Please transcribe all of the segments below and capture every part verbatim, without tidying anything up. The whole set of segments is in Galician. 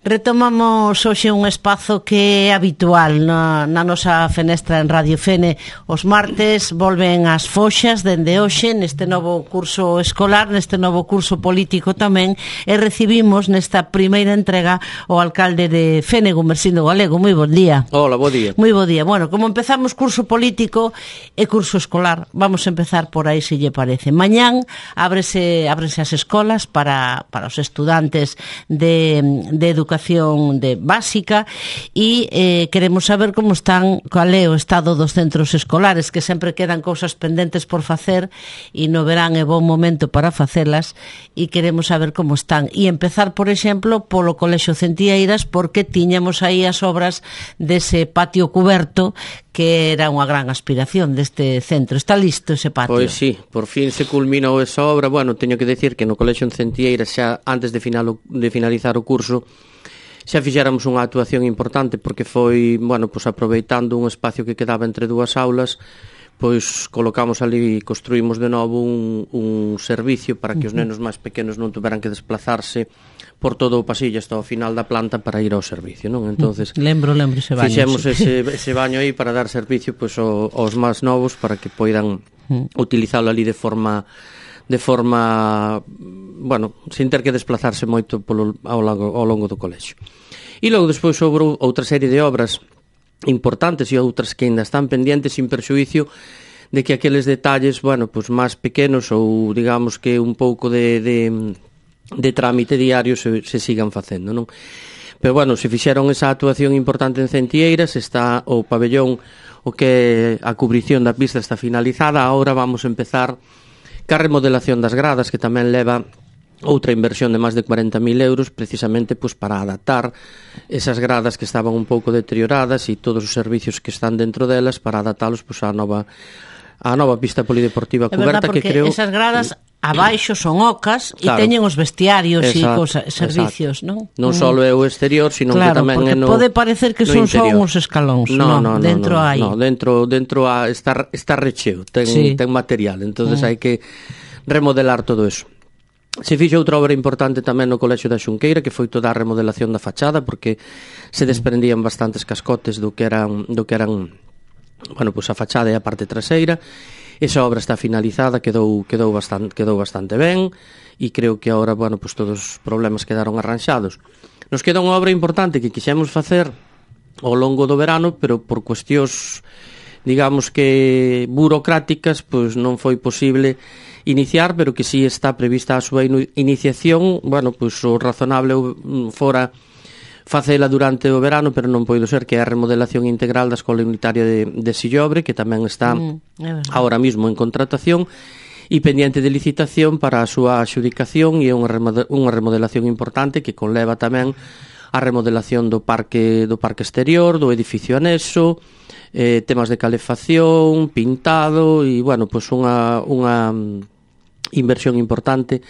Retomamos hoxe un espazo que é habitual na, na nosa fenestra en Radio Fene. Os martes volven as foxas dende hoxe neste novo curso escolar, neste novo curso político tamén, e recibimos nesta primeira entrega o alcalde de Fene, Gumersindo Galego. Moi bon día. Hola, bo día. Moi bo día. Bueno, como empezamos curso político e curso escolar, vamos a empezar por aí, se lle parece. Mañán ábrese, ábrese as escolas para, para os estudantes de, de educación de básica e eh, queremos saber como están, cual é o estado dos centros escolares, que sempre quedan cousas pendentes por facer e no verán é bon momento para facelas, e queremos saber como están e empezar, por exemplo, polo Colexio Centlleiras, porque tiñamos aí as obras dese patio cuberto que era unha gran aspiración deste centro. Está listo ese patio? Pois sí, por fin se culminou esa obra. Bueno, teño que decir que no Colexio Centlleiras xa antes de, final, de finalizar o curso xa fixéramos unha actuación importante, porque foi, bueno, pois aproveitando un espacio que quedaba entre dúas aulas, pois colocamos ali e construímos de novo un, un servicio para que os nenos máis pequenos non tuveran que desplazarse por todo o pasillo hasta o final da planta para ir ao servicio, non? Entonces, lembro, lembro ese baño. Fixemos ese, ese baño aí para dar servicio pois aos máis novos, para que poidan utilizalo ali de forma de forma, bueno, sin ter que desplazarse moito polo, ao, longo, ao longo do colexio. E logo despois houve outra serie de obras importantes e outras que ainda están pendientes, sin perxuicio de que aqueles detalles, bueno, pues máis pequenos ou digamos que un pouco de, de, de trámite diario se, se sigan facendo, non? Pero bueno, se fixeron esa actuación importante en Centlleiras, está o pabellón, o que a cubrición da pista está finalizada. Agora vamos a empezar ca remodelación das gradas, que tamén leva outra inversión de máis de cuarenta mil euros, precisamente pois, para adaptar esas gradas que estaban un pouco deterioradas e todos os servicios que están dentro delas, para adaptalos pois, á nova á nova pista polideportiva cuberta, que creo... esas gradas abaixo son ocas e claro, teñen os vestiarios e servicios, non? Non só é o exterior, sino claro, que tamén é no pode parecer que son só uns escalóns, no, no, no, dentro no, hai. No, dentro dentro a, está está recheo, ten sí. ten material, entonces mm. hai que remodelar todo eso. Se fixo outra obra importante tamén no Colexio da Xunqueira, que foi toda a remodelación da fachada, porque se desprendían bastantes cascotes do que eran do que eran bueno, pois a fachada e a parte traseira. Esa obra está finalizada, quedou quedou bastante quedou bastante ben e creo que agora, bueno, pois todos os problemas quedaron arranxados. Nos queda unha obra importante que quixemos facer ao longo do verano, pero por cuestións, digamos que burocráticas, pois non foi posible iniciar, pero que si sí está prevista a súa iniciación. Bueno, pois o razonable fora facela durante o verano, pero non poido ser, que é a remodelación integral da Escola Unitaria de, de Sillobre, que tamén está mm, ahora mismo en contratación e pendiente de licitación para a súa adxudicación, e é unha remodelación importante que conleva tamén a remodelación do parque do parque exterior, do edificio anexo, eh, temas de calefacción, pintado e, bueno, pois unha unha inversión importante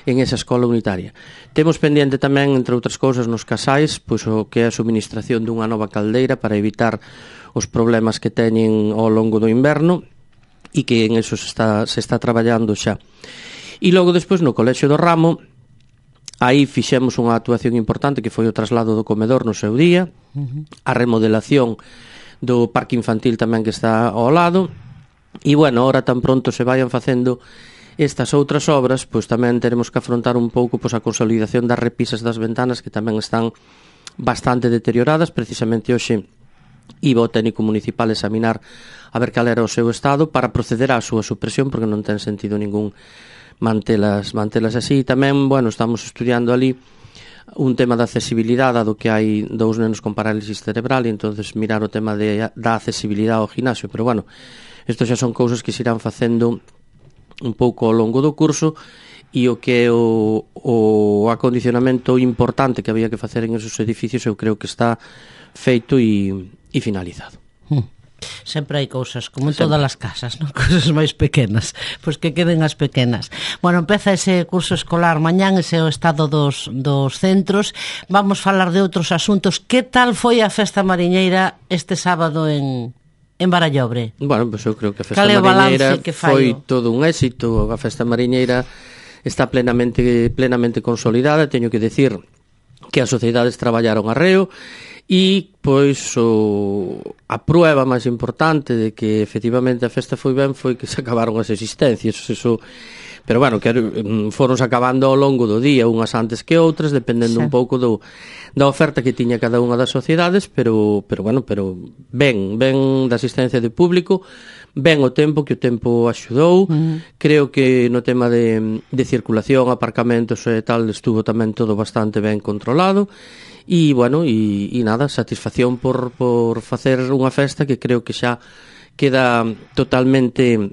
en esa escola unitaria. Temos pendiente tamén, entre outras cousas, nos casais, pois o que é a suministración dunha nova caldeira para evitar os problemas que teñen ao longo do inverno, e que en eso se está, se está traballando xa. E logo despois no Colexio do Ramo, aí fixemos unha actuación importante que foi o traslado do comedor no seu día, a remodelación do parque infantil tamén que está ao lado, e bueno, ahora tan pronto se vayan facendo estas outras obras, pois tamén teremos que afrontar un pouco pois a consolidación das repisas das ventanas, que tamén están bastante deterioradas. Precisamente hoxe iba o técnico municipal examinar a ver cal era o seu estado para proceder á súa supresión, porque non ten sentido ningún mantelas, mantelas así. Tamén, bueno, estamos estudiando ali un tema da accesibilidade, do que hai dous nenos con parálisis cerebral, e entonces mirar o tema de, da accesibilidade ao gimnasio. Pero bueno, isto xa son cousas que se irán facendo un pouco ao longo do curso, e o que é o, o acondicionamento importante que había que facer en esos edificios eu creo que está feito e, e finalizado. Hmm. Sempre hai cousas, como en todas as casas, non? Cousas máis pequenas, pois que queden as pequenas. Bueno, empeza ese curso escolar mañán, ese é o estado dos, dos centros. Vamos falar de outros asuntos. Que tal foi a festa mariñeira este sábado en... en Barallobre? Bueno, pois eu creo que a festa mariñeira foi todo un éxito. A festa mariñeira está plenamente plenamente consolidada. Teño que decir que as sociedades traballaron arreo, e pois o, a prueba máis importante de que efectivamente a festa foi ben foi que se acabaron as existencias. Eso, pero bueno, que foron acabando ao longo do día, unhas antes que outras, dependendo sí. un pouco do, da oferta que tiña cada unha das sociedades, pero, pero bueno, pero ben, ben da asistencia de público, ben o tempo, que o tempo axudou. Uh-huh. Creo que no tema de, de circulación, aparcamentos e tal, estuvo tamén todo bastante ben controlado. E, bueno, e, e nada, satisfacción por, por facer unha festa que creo que xa queda totalmente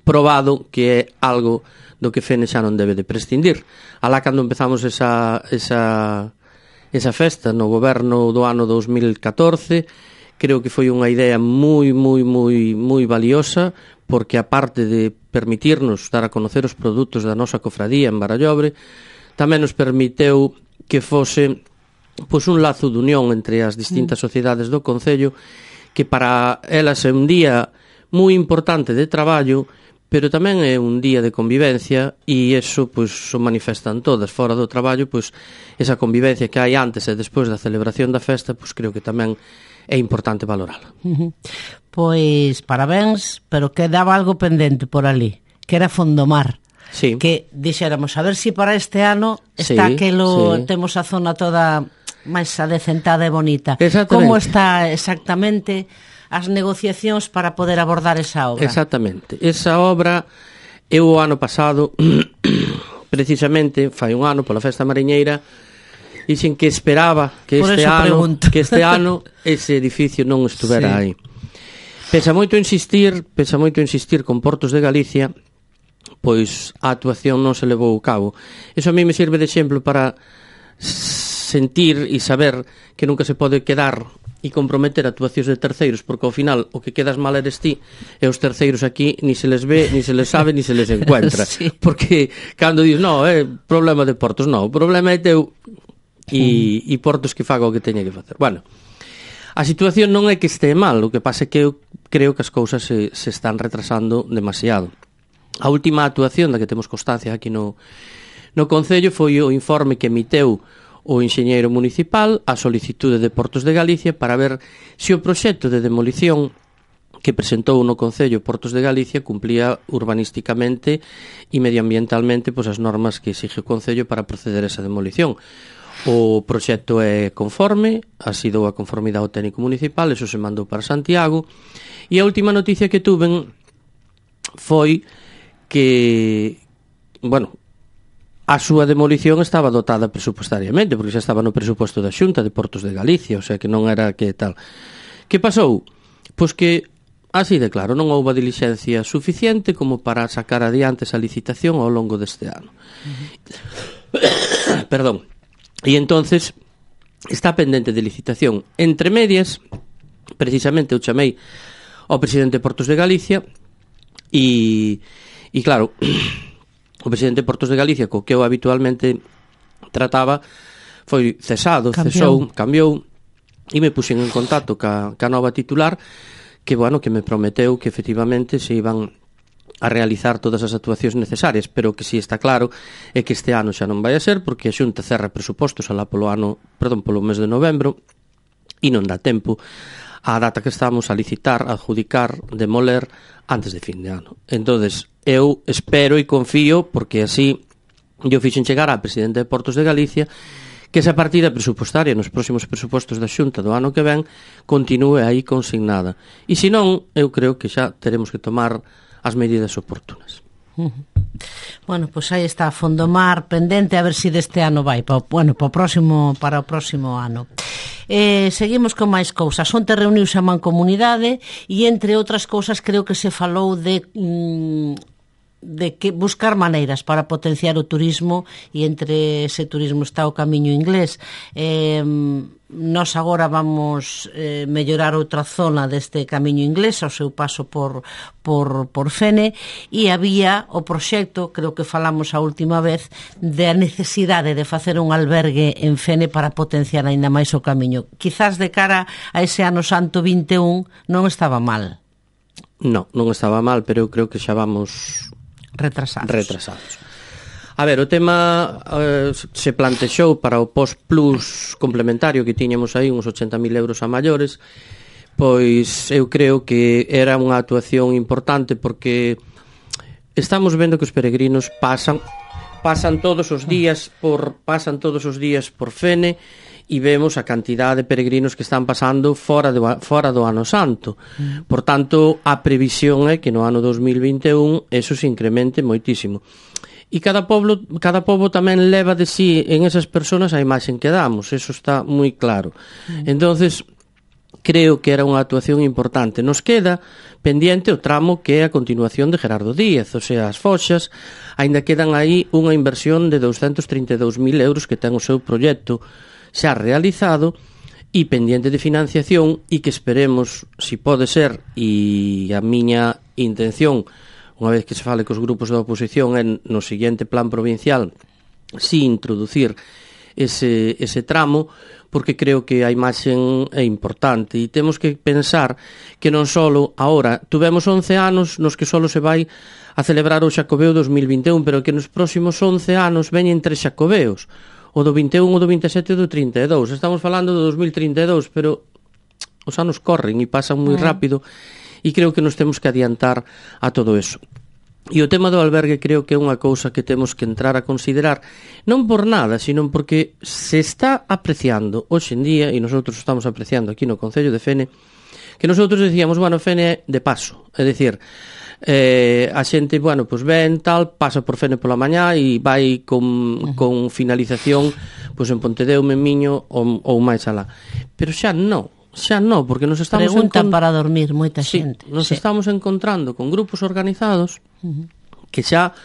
probado que é algo do que Fene xa non debe de prescindir. Alá cando empezamos esa, esa, esa festa no goberno do ano dos mil catorce, creo que foi unha idea moi, moi, moi, moi valiosa, porque aparte de permitirnos dar a conocer os produtos da nosa cofradía en Barallobre, tamén nos permiteu que fose pois un lazo de unión entre as distintas sociedades do Concello, que para elas é un día moi importante de traballo, pero tamén é un día de convivencia, e eso pois o manifestan todas. Fora do traballo, pois esa convivencia que hai antes e despois da celebración da festa, pois creo que tamén é importante valorala. Uh-huh. Pois parabéns, pero quedaba algo pendente por ali, que era Fondomar. Sí. Que dixéramos, a ver si para este ano está sí, aquelo, sí. temos a zona toda máis adecentada e bonita. Como está exactamente as negociacións para poder abordar esa obra? Exactamente. Esa obra, eu o ano pasado, precisamente, fai un ano, pola Festa Mariñeira, dixen que esperaba que este ano que este ano ese edificio non estuvera sí. aí. Pesa moito insistir, pesa moito insistir con Portos de Galicia, pois a actuación non se levou a cabo. Iso a mí me sirve de exemplo para sentir e saber que nunca se pode quedar e comprometer actuacións de terceiros, porque ao final o que quedas mal eres ti, e os terceiros aquí ni se les ve, ni se les sabe, ni se les encuentra. Sí. Porque cando dices, no, é problema de Portos, no, o problema é teu e, e Portos que faga o que teña que facer. Bueno, a situación non é que este mal, o que pasa é que eu creo que as cousas se, se están retrasando demasiado. A última actuación da que temos constancia aquí no, no Concello foi o informe que emiteu o enxeñeiro municipal a solicitude de Portos de Galicia para ver se o proxecto de demolición que presentou no Concello Portos de Galicia cumplía urbanísticamente e medioambientalmente pois, as normas que exige o Concello para proceder a esa demolición. O proxecto é conforme, así dou a conformidade ao técnico municipal, eso se mandou para Santiago, e a última noticia que tuven foi que, bueno, a súa demolición estaba dotada presupuestariamente, porque xa estaba no presupuesto da Xunta de Portos de Galicia, o sea que non era que tal. Que pasou? Pois que, así de claro, non houve dilixencia suficiente como para sacar adiante esa licitación ao longo deste ano. Uh-huh. Perdón. E entonces está pendente de licitación. Entre medias, precisamente eu chamei ao presidente de Portos de Galicia e, e claro, o presidente de Portos de Galicia, co que eu habitualmente trataba, foi cesado, cambiou. cesou, cambiou, e me puxen en contacto ca, ca nova titular, que, bueno, que me prometeu que efectivamente se iban a realizar todas as actuacións necesarias, pero que si está claro é que este ano xa non vai a ser, porque a Xunta cerra presupostos alá polo ano, perdón, polo mes de novembro, e non dá tempo a data que estamos a licitar, a adjudicar, demoler antes de fin de ano. Entonces, eu espero e confío, porque así eu fixen chegar á presidente de Portos de Galicia, que esa partida presupostaria nos próximos presupostos da Xunta do ano que ven continúe aí consignada. E se non, eu creo que xa teremos que tomar as medidas oportunas. Uh-huh. Bueno, pois pues aí está Fondomar pendente, a ver se si deste ano vai, pa, bueno, para o próximo, para o próximo ano. Eh, seguimos con máis cousas. Onte reuniuse a Mancomunidade e, entre outras cousas, creo que se falou de mm, de que buscar maneiras para potenciar o turismo, e entre ese turismo está o Camiño Inglés. Eh, nós agora vamos eh, mellorar outra zona deste Camiño Inglés ao seu paso por, por, por Fene, e había o proxecto, creo que falamos a última vez, de a necesidade de facer un albergue en Fene para potenciar aínda máis o camiño. Quizás de cara a ese ano santo vinte e un non estaba mal. Non, non estaba mal, pero eu creo que xa vamos retrasados. retrasados. A ver, o tema uh, se plantexou para o post-plus complementario que tiñamos aí, uns ochenta mil euros a maiores, pois eu creo que era unha actuación importante porque estamos vendo que os peregrinos pasan pasan todos os días por pasan todos os días por Fene e vemos a cantidade de peregrinos que están pasando fora do, fora do ano santo. Por tanto, a previsión é que no ano dos mil vinte e un eso se incremente moitísimo. E cada pobo, cada pobo tamén leva de sí en esas persoas a imaxen que damos, eso está moi claro. Entonces, creo que era unha actuación importante. Nos queda pendiente o tramo que é a continuación de Gerardo Díaz, o sea, as foxas, aínda quedan aí unha inversión de doscientos trinta e dous mil euros que ten o seu proxecto xa realizado e pendiente de financiación e que esperemos, si pode ser, e a miña intención, unha vez que se fale cos grupos da oposición, é no seguinte plan provincial si introducir ese, ese tramo, porque creo que a imaxen é importante e temos que pensar que non só agora, tuvemos once anos nos que só se vai a celebrar o Xacobeo dos mil vinte e un, pero que nos próximos once anos veñen tres Xacobeos, o do vinte e un, o do vinte e sete e o do trinta e dous. Estamos falando do dos mil trinta e dous, pero os anos corren e pasan moi rápido e creo que nos temos que adiantar a todo eso. E o tema do albergue creo que é unha cousa que temos que entrar a considerar, non por nada, sino porque se está apreciando hoxe en día, e nosotros estamos apreciando aquí no Concello de Fene, que nosotros decíamos, bueno, Fene é de paso, é dicir, eh, a xente, bueno, pues ven, tal, pasa por Fene pola mañá e vai con, con finalización pues en Pontedeume, Miño ou, ou máis alá. Pero xa non. Xa non, porque nos estamos preguntan encont... para dormir moita sí, xente. Nos sí. estamos encontrando con grupos organizados uh-huh. que xa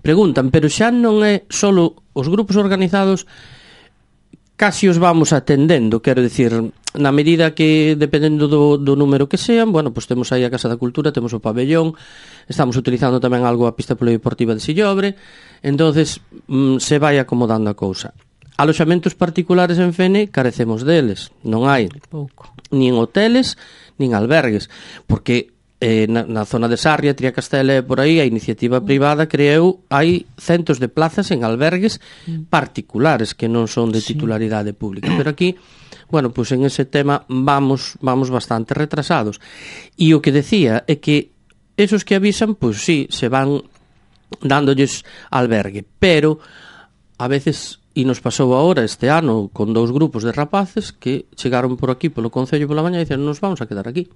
preguntan, pero xa non é solo os grupos organizados, casi os vamos atendendo, quero dicir, na medida que dependendo do, do número que sean, bueno, pues temos aí a Casa da Cultura, temos o pabellón, estamos utilizando tamén algo a pista polideportiva de Sillobre, entonces mm, se vai acomodando a cousa. Aloxamentos particulares en Fene carecemos deles, non hai pouco nin hoteles, nin albergues, porque eh, na, na zona de Sarria, Triacastela e por aí, a iniciativa privada creou, hai centos de plazas en albergues particulares que non son de titularidade pública, pero aquí, bueno, pues en ese tema vamos vamos bastante retrasados. E o que decía é que esos que avisan, pues sí, se van dándolles albergue, pero a veces... E nos pasou agora este ano con dous grupos de rapaces que chegaron por aquí polo Concello pola mañá e dicen, nos vamos a quedar aquí.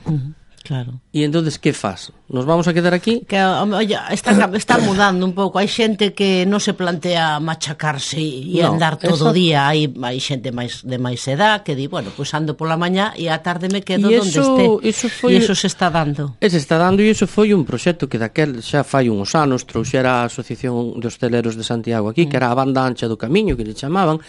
Uh-huh, claro. E entonces que faz? Nos vamos a quedar aquí? Que oye, está, está mudando un pouco. Hai xente que non se plantea machacarse e no, andar todo o día. Hai, hai xente máis de máis edad que di, bueno, pois pues ando pola mañá e á tarde me quedo e onde eso, este. Eso foi, e eso se está dando. Se está dando e iso foi un proxecto que daquel xa fai uns anos trouxera a Asociación de Hosteleros de Santiago aquí, mm. que era a banda ancha do camiño que le chamaban,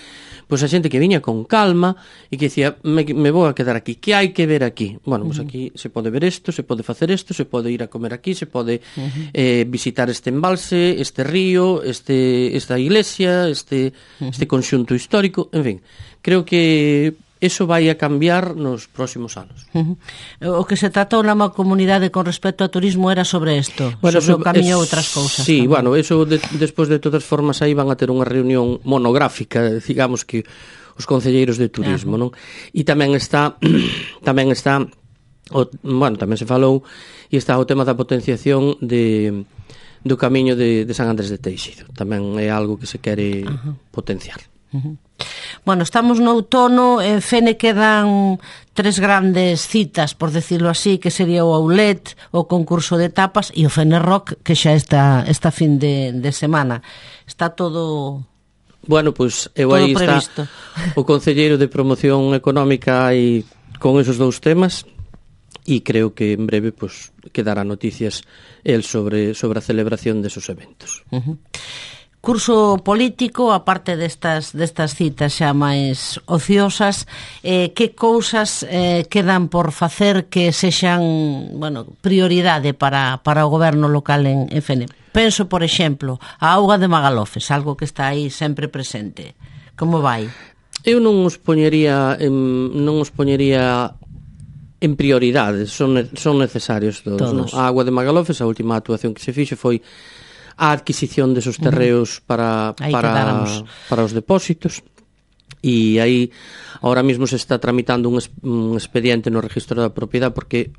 pois a xente que viña con calma e que dicía, me, me vou a quedar aquí, que hai que ver aquí? Bueno, pois aquí se pode ver isto, se pode facer isto, se pode ir a comer aquí, se pode uh-huh. eh, visitar este embalse, este río, este esta iglesia, este uh-huh. este conxunto histórico, en fin, creo que eso vai a cambiar nos próximos anos. Uh-huh. O que se tratou na comunidade con respecto ao turismo era sobre isto, bueno, sobre o camiño e outras cousas. Sí, tamén. Bueno, eso de, despois de todas formas aí van a ter unha reunión monográfica, digamos que os concelleiros de turismo, uh-huh. non? E tamén está tamén está o, bueno, tamén se falou e está o tema da potenciación de do camiño de, de San Andrés de Teixido. Tamén é algo que se quere uh-huh. potenciar. Uh-huh. Bueno, estamos no outono, en Fene quedan tres grandes citas, por decirlo así, que sería o Aulet, o concurso de tapas e o Fene Rock, que xa está esta fin de, de semana. Está todo... Bueno, pois pues, eu aí está o concelleiro de promoción económica e con esos dous temas e creo que en breve pues, quedará noticias el sobre, sobre a celebración desos eventos. Uh-huh. Curso político, aparte destas, destas citas xa máis ociosas, eh, que cousas eh, quedan por facer que sexan, bueno, prioridade para, para o goberno local en, en Fene? Penso, por exemplo, a auga de Magalofes, algo que está aí sempre presente. Como vai? Eu non os poñería en, non os poñería en prioridades, son, son necesarios todos, todos. No? A auga de Magalofes, a última actuación que se fixo foi a adquisición desos terreos para, para, para os depósitos. E aí, ahora mismo se está tramitando un, es, un expediente no registro da propiedade porque,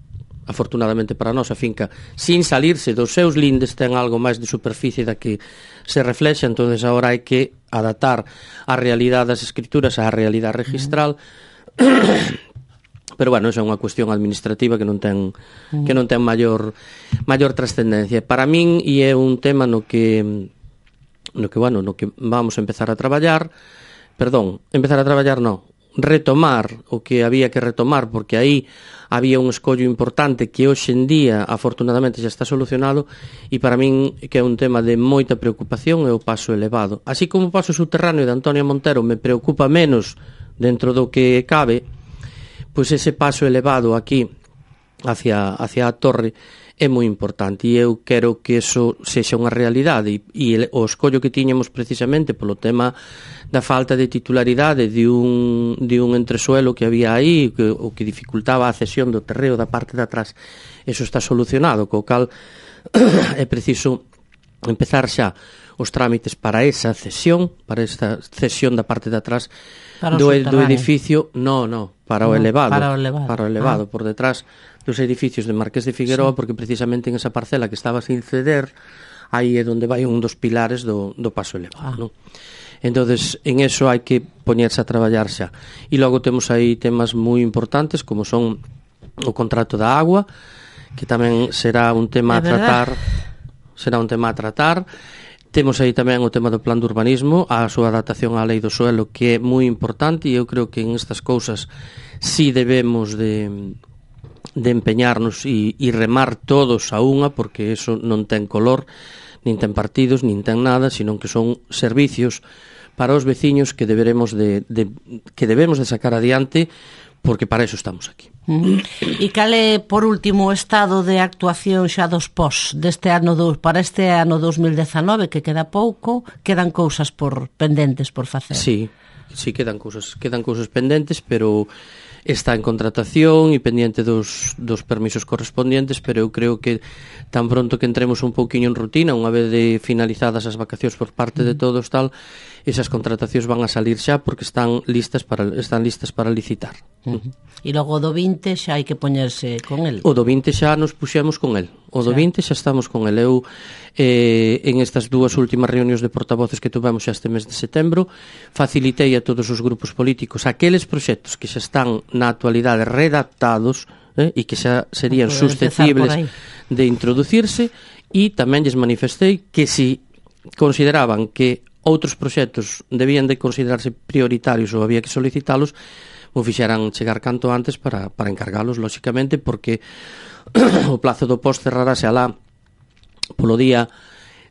afortunadamente para nós, a finca, sin salirse dos seus lindes, ten algo máis de superficie da que se reflexa, entonces agora hai que adaptar a realidade das escrituras á realidade registral. Uh-huh. Pero bueno, esa é unha cuestión administrativa que non ten uh-huh. que non ten maior maior trascendencia. Para min e é un tema no que no que bueno, no que vamos a empezar a traballar, perdón, empezar a traballar non, retomar o que había que retomar, porque aí había un escollo importante que hoxe en día afortunadamente xa está solucionado, e para min que é un tema de moita preocupación é o paso elevado. Así como o paso subterráneo de Antonio Montero me preocupa menos dentro do que cabe, pois ese paso elevado aquí hacia, hacia a torre é moi importante, e eu quero que eso sexa unha realidade, e, e o escollo que tiñamos precisamente polo tema da falta de titularidade de un, de un entresuelo que había aí, que, o que dificultaba a cesión do terreo da parte de atrás, eso está solucionado, co cal é preciso empezar xa os trámites para esa cesión, para esa cesión da parte de atrás do, do edificio, no, no, para o no, elevado, para o elevado, para o elevado ah. por detrás dos edificios de Marqués de Figueroa, sí. Porque precisamente en esa parcela que estaba sin ceder, aí é onde vai un dos pilares do, do paso elevado, ah. non? Entonces, en eso hai que poñerse a traballar xa. E logo temos aí temas moi importantes, como son o contrato da agua, que tamén será un tema a tratar, será un tema a tratar. Temos aí tamén o tema do plan de urbanismo, a súa adaptación á lei do suelo, que é moi importante, e eu creo que en estas cousas sí debemos de, de empeñarnos e, e remar todos a unha, porque eso non ten color, nin ten partidos, nin ten nada, sino que son servicios para os veciños que deberemos de, de, que debemos de sacar adiante, porque para eso estamos aquí. Uh-huh. E cal é, por último, o estado de actuación xa dos pós deste ano do, para este ano dos mil dezanove, que queda pouco, quedan cousas por pendentes por facer? Sí, sí, quedan cousas, quedan cousas pendentes, pero está en contratación e pendiente dos, dos permisos correspondientes, pero eu creo que tan pronto que entremos un pouquiño en rutina, unha vez de finalizadas as vacacións por parte de todos tal, esas contratacións van a salir xa porque están listas para están listas para licitar. Uh-huh. E logo do vinte xa hai que poñerse con el. O do vinte xa nos puxemos con el. O do vinte xa estamos con el. Eu eh, en estas dúas últimas reunións de portavoces que tuvemos xa este mes de setembro, facilitei a todos os grupos políticos aqueles proxectos que xa están na actualidade redactados eh, e que xa serían susceptibles de introducirse, e tamén lles manifestei que si consideraban que outros proxectos debían de considerarse prioritarios ou había que solicitalos, o fixeran chegar canto antes para, para encargalos, lóxicamente, porque o plazo do post cerrarase alá polo día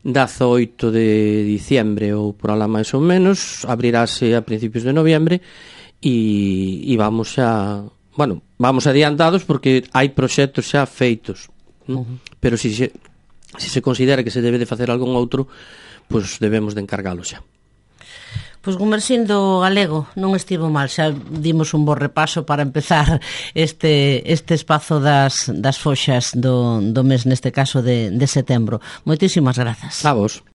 dezoito de diciembre ou por alá máis ou menos, abrirase a principios de noviembre, e, e vamos xa, bueno, vamos adiantados porque hai proxectos xa feitos, uh-huh. Pero si se, si se considera que se debe de facer algún outro, pois debemos de encargalo xa. Pois Gumersindo Galego, non estivo mal, xa dimos un bo repaso para empezar este este espazo das, das foxas do, do mes, neste caso de, de setembro. Moitísimas grazas. A vos.